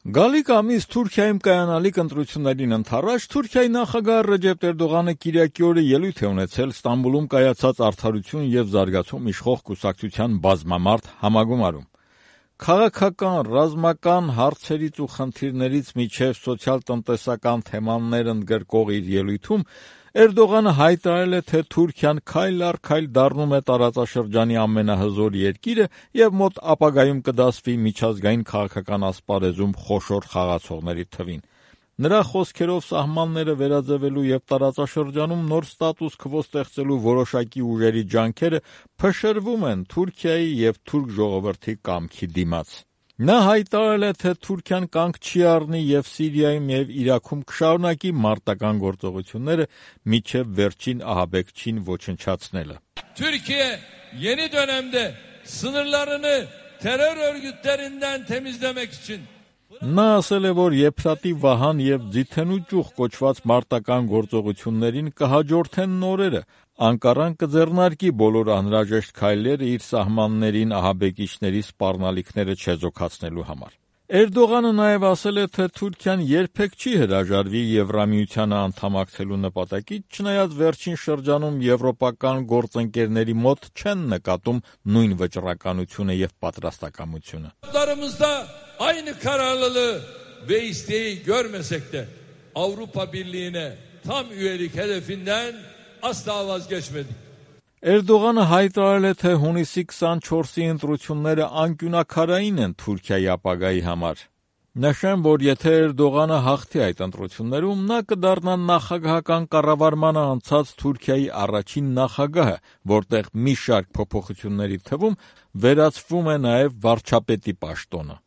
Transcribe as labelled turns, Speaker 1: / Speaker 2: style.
Speaker 1: Գալիք ամիս Թուրքիայում կայանալիք ընտրություններին ընդառաջ Թուրքիայի նախագահ Ռեջեփ Էրդողանը կիրակի օրը ելույթ է ունեցել Ստամբուլում կայացած Արդարություն եւ զարգացում իշխող կուսակցության բազմամարդ համագումարում։ Քաղաքական, ռազմական հարցերից ու խնդիրներից մինչև սոցիալ-տնտեսական թեմաներ ընդգրկող իր ելույթում Էրդողանը հայտարարել է, թե Թուրքիան քայլ առ քայլ դառնում է տարածաշրջանի ամենահզոր երկիրը եւ մոտ ապագայում կդասվի միջազգային քաղաքական ասպարեզում խոշոր խաղացողների թվին։ Նրա խոսքերով սահմանները վերաձևելու եւ տարածաշրջանում նոր ստատուս քվո ստեղծելու որոշակի ուժերի ջանքերը փշրվում են Թուրքիայի եւ թուրք ժողովրդի կամքի դիմաց։ Նա հայտարարել է, թե Թուրքիան կանգ չի առնի եւ Սիրիայում եւ Իրաքում կշարունակի մարտական գործողությունները մինչեւ վերջին ահաբեկչին ոչնչացնելը։
Speaker 2: Türkiye yeni dönemde sınırlarını terör örgütlerinden temizlemek için
Speaker 1: Նա ասել է, որ Եփրատի Վահան եւ Ձիթենու ճյուղ կոչված մարտական գործողություններին կհաջորդեն նորերը, Անկարան կձեռնարկի բոլոր անհրաժեշտ քայլերը իր սահմաններին ահաբեկիչների սպառնալիքները չեզոքացնելու համար։ Էրդողանը նաև ասել է, թե Թուրքիան երբեք չի հրաժարվի Եվրամիությանը անդամակցելու նպատակից, չնայած վերջին şրջանում եվրոպական գործընկերների մոտ չեն նկատում նույն վճռականությունը եւ պատրաստակամությունը։
Speaker 2: Aynı kararlılığı ve isteği görmesek de Avrupa Birliği'ne tam üyelik hedefinden asla vazgeçmedik.
Speaker 1: Էրդողանը հայտարարել է, թե հունիսի 24-ի ընտրությունները անկյունակարային են Թուրքիայի ապագայի համար։ Նշեմ, որ եթե Էրդողանը հաղթի այդ ընտրություններում, նա կդառնա նախագահական կառավարմանը անցած Թուրքիայի առաջին նախագահը, որտեղ մի շարք փոփոխությունների թվում վերացվում է նաև վարչապետի պաշտոնը։